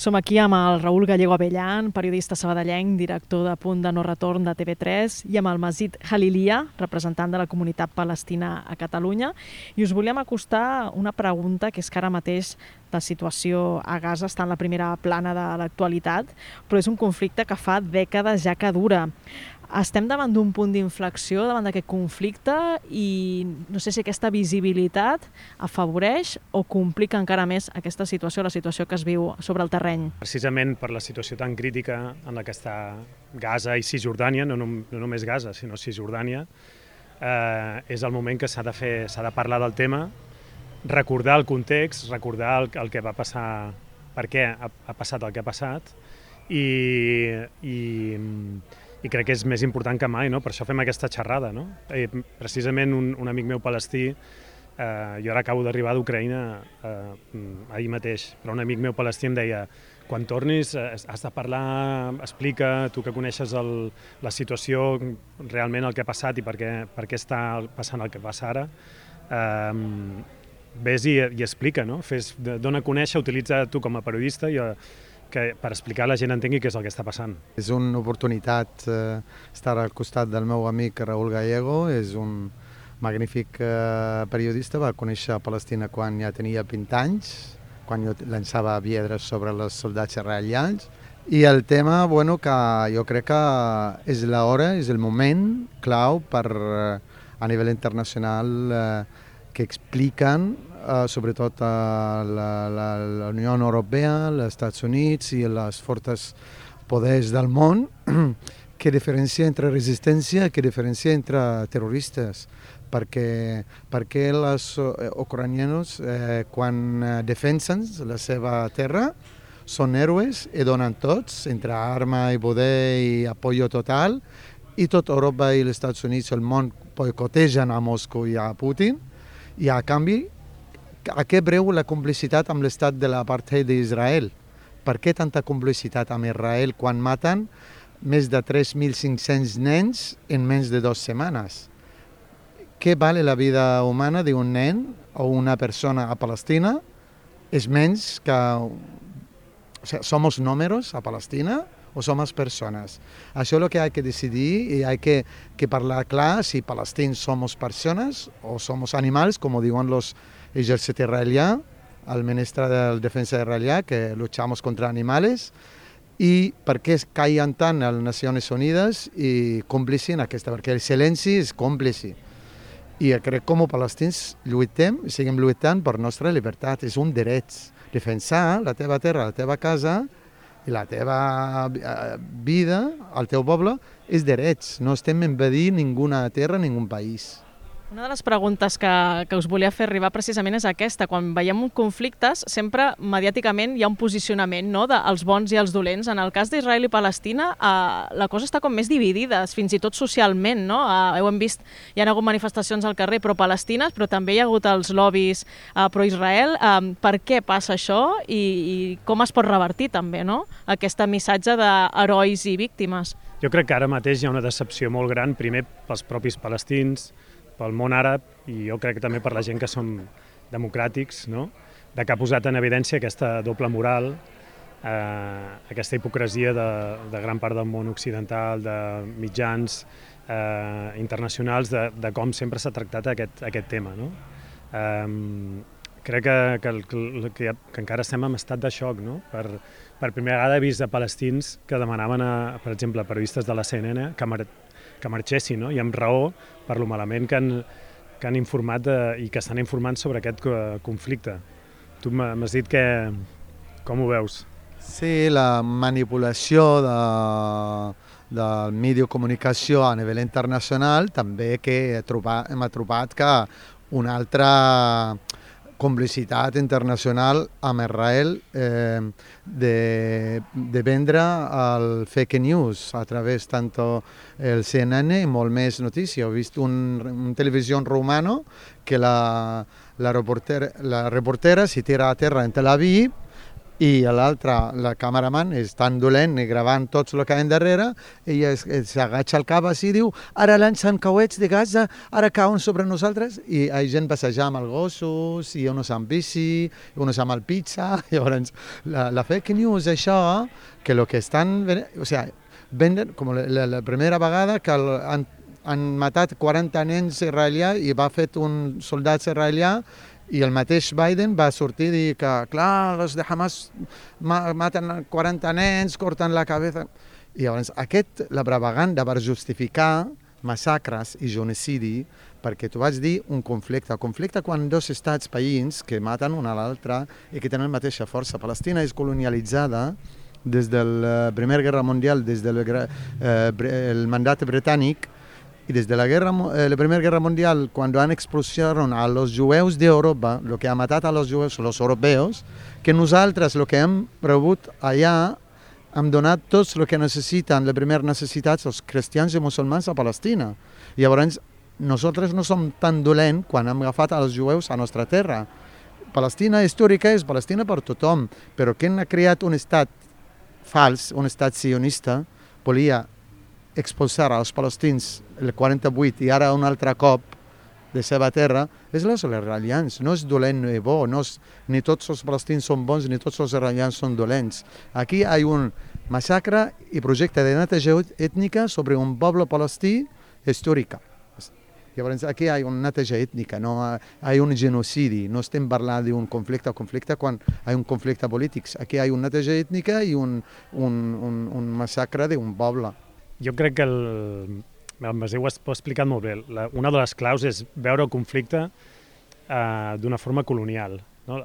Som aquí amb el Raül Gallego Abellan, periodista sabadellenc, director de Punt de No Retorn de TV3, i amb el Mazid Halilia, representant de la comunitat palestina a Catalunya. I us volíem acostar una pregunta, que és que ara mateix la situació a Gaza està en la primera plana de l'actualitat, però és un conflicte que fa dècades ja que dura. Estem davant d'un punt d'inflexió davant d'aquest conflicte i no sé si aquesta visibilitat afavoreix o complica encara més aquesta situació, la situació que es viu sobre el terreny. Precisament per la situació tan crítica en la que està Gaza i Cisjordània, no només Gaza, sinó Cisjordània, és el moment que s'ha de parlar del tema, recordar el context, recordar el que va passar, per què ha passat el que ha passat, i crec que és més important que mai, no? Per això fem aquesta xerrada, no? Precisament un amic meu palestí, jo ara acabo d'arribar d'Ucraïna ahir mateix, però un amic meu palestí em deia: quan tornis has de parlar, explica, tu que coneixes la situació, realment el que ha passat i per què està passant el que passa ara, vés i explica, no? Dona a conèixer, utilitza tu com a periodista per explicar a la gent entengui què és el que està passant. És una oportunitat estar al costat del meu amic Raül Gallego, és un magnífic periodista, va conèixer Palestina quan ja tenia 20 anys, quan jo llançava piedres sobre els soldats israelians, i el tema, que jo crec que és l'hora, és el moment clau per a nivell internacional que expliquen sobretot la Unió Europea, els Estats Units i les fortes poders del món, què diferència entre resistència i què diferència entre terroristes. Perquè els ucranians, quan defensen la seva terra, són héroes i donen tots, entre arma i poder i apoyo total, i tot Europa i els Estats Units, el món, boicotegen a Moscou i a Putin, i a canvi a què breu la complicitat amb l'estat de l'apartheid d'Israel? Per què tanta complicitat amb Israel quan maten més de 3.500 nens en menys de 2 setmanes? Què vale la vida humana d'un nen o una persona a Palestina? És menys que... ¿Somos números a Palestina o somos personas? Això és el que hay que decidir i hay que parlar clar si palestins somos persones o somos animals, com diuen los ejército israelià, el ministre de Defensa israelià, que luchamos contra animales, i per què caien tant a les Nacions Unides i còmplici en aquesta, perquè el silenci és còmplici. I crec que com a palestins lluitem, seguim lluitant per nostra llibertat, és un dret. Defensar la teva terra, la teva casa i la teva vida, el teu poble, és drets. No estem invadint ninguna terra, ningú país. Una de les preguntes que us volia fer arribar precisament és aquesta. Quan veiem conflictes, sempre mediàticament hi ha un posicionament, no?, dels bons i els dolents. En el cas d'Israel i Palestina, la cosa està com més dividida, fins i tot socialment, no? Ho hem vist, hi ha hagut manifestacions al carrer pro-palestines, però també hi ha hagut els lobbies pro-Israel. Per què passa això i com es pot revertir també, no?, aquest missatge d'herois i víctimes? Jo crec que ara mateix hi ha una decepció molt gran, primer pels propis palestins, pel món àrab, i jo crec que també per la gent que som democràtics, no?, de que ha posat en evidència aquesta doble moral, aquesta hipocresia de gran part del món occidental, de mitjans internacionals, de com sempre s'ha tractat aquest tema, no? Crec que encara estem en estat de xoc, no? Per primera vegada he vist a palestins que demanaven, per exemple, a periodistes de la CNN que marxessin, no? I amb raó, per lo malament que han informat i que estan informant sobre aquest conflicte. Tu m'has dit com ho veus? Sí, la manipulació del mitjà de comunicació a nivell internacional també que hem trobat que una altra complicitat internacional amb Israel de vendre el fake news a través tant el CNN i molt més notícies. He vist una televisió romana que la reportera si tira a terra en Tel Aviv i l'altre, la cameraman, és tan dolent i gravant tots el que hi ha darrere, i s'agatxa el cap així i diu ara llancen coets de Gaza, ara cauen sobre nosaltres, i hi ha gent passejant amb els gossos, i uns amb bici, i uns amb el pizza. Llavors, la fake news, això, que el que estan... O sigui, venden, com la primera vegada que han matat 40 nens israelià i va fet un soldat israelià, i el mateix Biden va sortir i dir que, clar, els de Hamas maten 40 nens, corten la cabeza... I llavors, la propaganda per justificar massacres i genocidi, perquè tu vas dir un conflicte quan dos estats veïns que maten un a l'altre i que tenen la mateixa força. Palestina és colonialitzada des de la Primera Guerra Mundial, des del mandat britànic, y desde la Primera Guerra Mundial, cuando han expulsaron a los jueus de Europa, lo que ha matado a los jueus, los europeos, que nosaltres, lo que hem rebut allà, hem donat tots el que necessiten, les primeres necessitats, els cristians i musulmans a Palestina. I llavors, nosaltres no som tan dolents quan hem agafat els jueus a nostra terra. Palestina històrica és Palestina per tothom, però qui ha creat un estat fals, un estat sionista, volia expulsar als palestins el 48 i ara un altre cop de seva terra, és els israelians. No és dolent ni bo, ni tots els palestins són bons ni tots els israelians són dolents. Aquí hi ha un massacre i projecte de neteja ètnica sobre un poble palestí històric. Llavors aquí hi ha una neteja ètnica, no hi ha un genocidi, no estem parlant d'un conflicte quan hi ha un conflicte polític. Aquí hi ha una neteja ètnica i un massacre d'un poble. Jo crec que el Masí ho ha explicat molt bé. Una de les claus és veure el conflicte d'una forma colonial. No?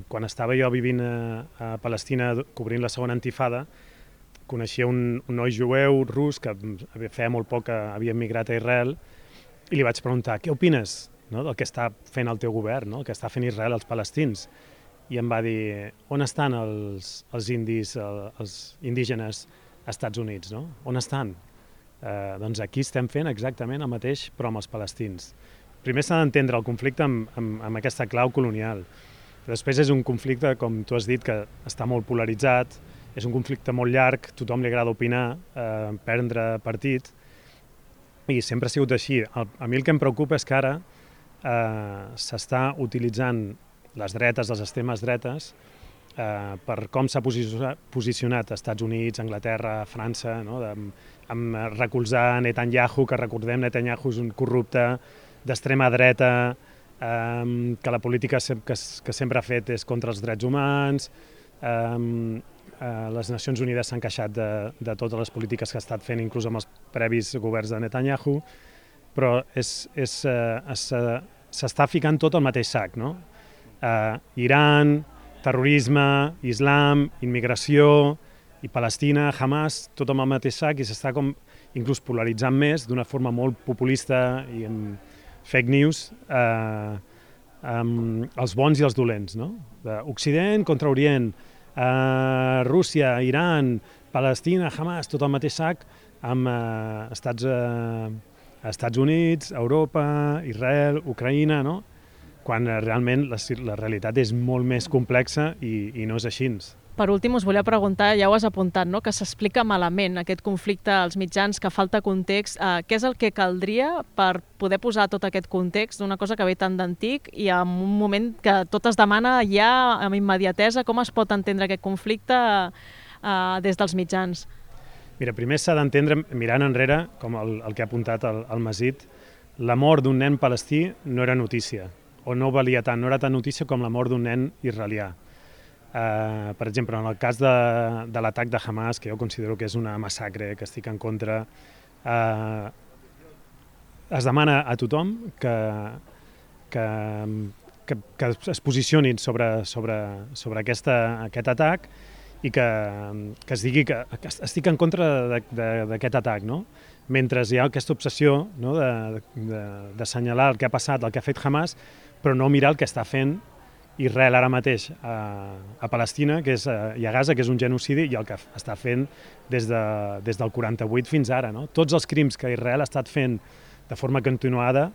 Quan estava jo vivint a Palestina cobrint la segona intifada, coneixia un noi jueu rus que feia molt poc que havia emigrat a Israel i li vaig preguntar què opines, no, del que està fent el teu govern, no, el que està fent Israel als palestins. I em va dir, on estan els indis, els indígenes als Estats Units, no? On estan? Doncs aquí estem fent exactament el mateix, però amb els palestins. Primer s'ha d'entendre el conflicte amb aquesta clau colonial. Després és un conflicte, com tu has dit, que està molt polaritzat, és un conflicte molt llarg, tothom li agrada opinar, prendre partit, i sempre ha sigut així. A mi el que em preocupa és que ara s'està utilitzant les dretes, les extremes dretes, per com s'ha posicionat Estats Units, Anglaterra, França, no? Amb recolzar Netanyahu, que recordem, Netanyahu és un corrupte d'extrema dreta, que la política que sempre ha fet és contra els drets humans, les Nacions Unides s'han queixat de totes les polítiques que ha estat fent, inclús amb els previs governs de Netanyahu, però s'està ficant tot al mateix sac, no? Iran, terrorisme, islam, immigració i Palestina, Hamas, tot amb el mateix sac, i s'està com inclús polaritzant més d'una forma molt populista i amb fake news, els bons i els dolents, no? Occident contra Orient, Rússia, Iran, Palestina, Hamas, tot al mateix sac, amb Estats Units, Europa, Israel, Ucraïna, no? Quan realment la realitat és molt més complexa i no és així. Per últim, us volia preguntar, ja ho has apuntat, no? Que s'explica malament aquest conflicte als mitjans, que falta context. Què és el que caldria per poder posar tot aquest context d'una cosa que ve tan d'antic i en un moment que tot es demana ja amb immediatesa? Com es pot entendre aquest conflicte des dels mitjans? Mira, primer s'ha d'entendre, mirant enrere, com el que ha apuntat el Masit, la mort d'un nen palestí no era notícia, o no valia tant, no era tan notícia com la mort d'un nen israelià. Per exemple, en el cas de l'atac de Hamas, que jo considero que és una massacre, que estic en contra, es demana a tothom que es posicionin sobre aquest atac i que es digui que estic en contra d'aquest atac, no? Mentre hi ha aquesta obsessió, no, d'assenyalar el que ha passat, el que ha fet Hamas, però no mirar el que està fent Israel ara mateix a Palestina, i a Gaza, que és un genocidi, i el que està fent des del 48 fins ara, no? Tots els crims que Israel ha estat fent de forma continuada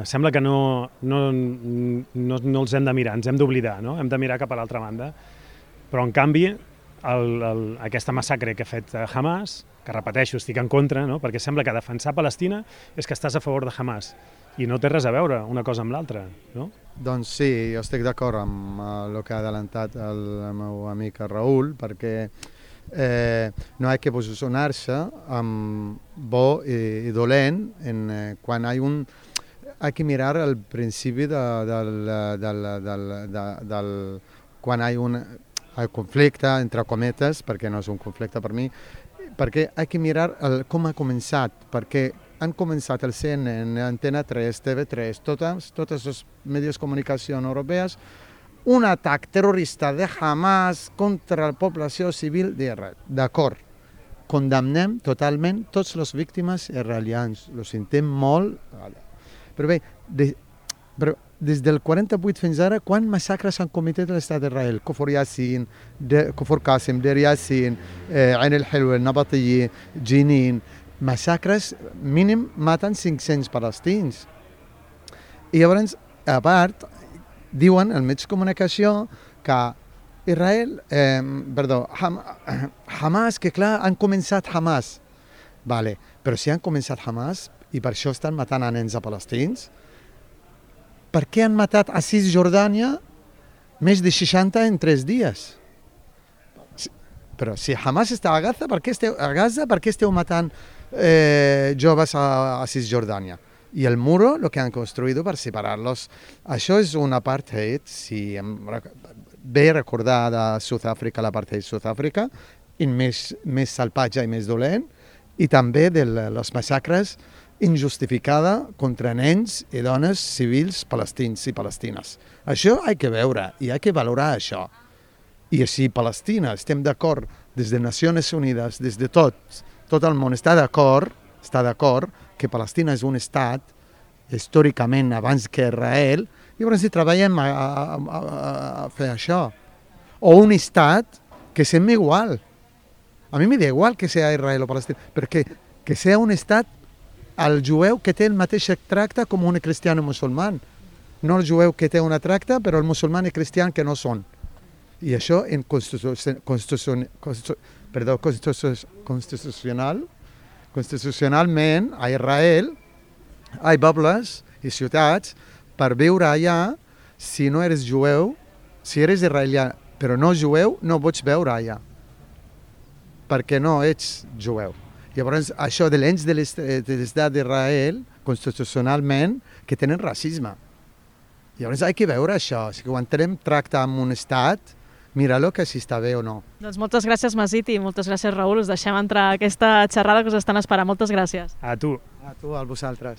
sembla que no els hem de mirar, ens hem d'oblidar, no? Hem de mirar cap a l'altra banda. Però, en canvi, aquesta massacre que ha fet Hamas, que repeteixo, estic en contra, no? Perquè sembla que defensar Palestina és que estàs a favor de Hamas, i no té res a veure una cosa amb l'altra, no? Doncs sí, jo estic d'acord amb el que ha adelantat el meu amic Raül, perquè no hay que posicionar-se amb bo i dolent quan hay que mirar el principi quan hi ha el conflicte, entre cometes, perquè no és un conflicte per mi, perquè hay que mirar com ha començat, perquè han començat el CNN, Antena 3, TV3, totes les mitjans de comunicació europees, un atac terrorista de Hamas contra la població civil d'Israel. D'acord, condemnem totalment tots les víctimes israelians, ho sentim molt, però bé, des del 48 fins ara, quants massacres han cometit l'estat d'Israel? Kfar Yassin, Kfar Qasim, Deir Yassin, Ain el-Hilwa, Nabatiya, Jenin, massacres, mínim maten 500 palestins. I llavors, a part, diuen als mitjans de comunicació que Hamas, que clar, han començat Hamas. Vale, però si han començat Hamas i per això estan matant a nens a palestins, per què han matat a Cisjordània més de 60 en 3 dies? Però si Hamas està a Gaza, per què esteu matant joves a Cisjordània? I el muro, el que han construït per separar-los, això és un apartheid, si ve recordar de Sud-àfrica, l'apartheid Sud-àfrica, més salvatge i més dolent, i també de les massacres injustificada contra nens i dones civils palestins i palestines. Això hi ha que veure i hi ha que valorar això. I si Palestina estem d'acord des de Nacions Unides, des de tot el món està d'acord que Palestina és un estat històricament abans que Israel, llavors si treballem a fer això. O un estat que sembla igual. A mi m'hi da igual que sigui Israel o Palestina, perquè que sigui un estat el jueu que té el mateix tracte com un cristià o musulmà. No el jueu que té una tracta, però el musulmà i cristià que no són. I això en constitucionalment a Israel hi ha pobles i ciutats per viure allà. Si no eres jueu, si eres israelià però no jueu, no pots veure allà perquè no ets jueu. Llavors, això de l'ens de l'estat d'Israel, constitucionalment, que tenen racisme. Llavors, hi ha que veure això. Si quan tenim tracte amb un estat, mira-lo que si està bé o no. Doncs moltes gràcies, Masit, i moltes gràcies, Raül. Us deixem entrar a aquesta xerrada que us estan esperant. Moltes gràcies. A tu. A tu, a vosaltres.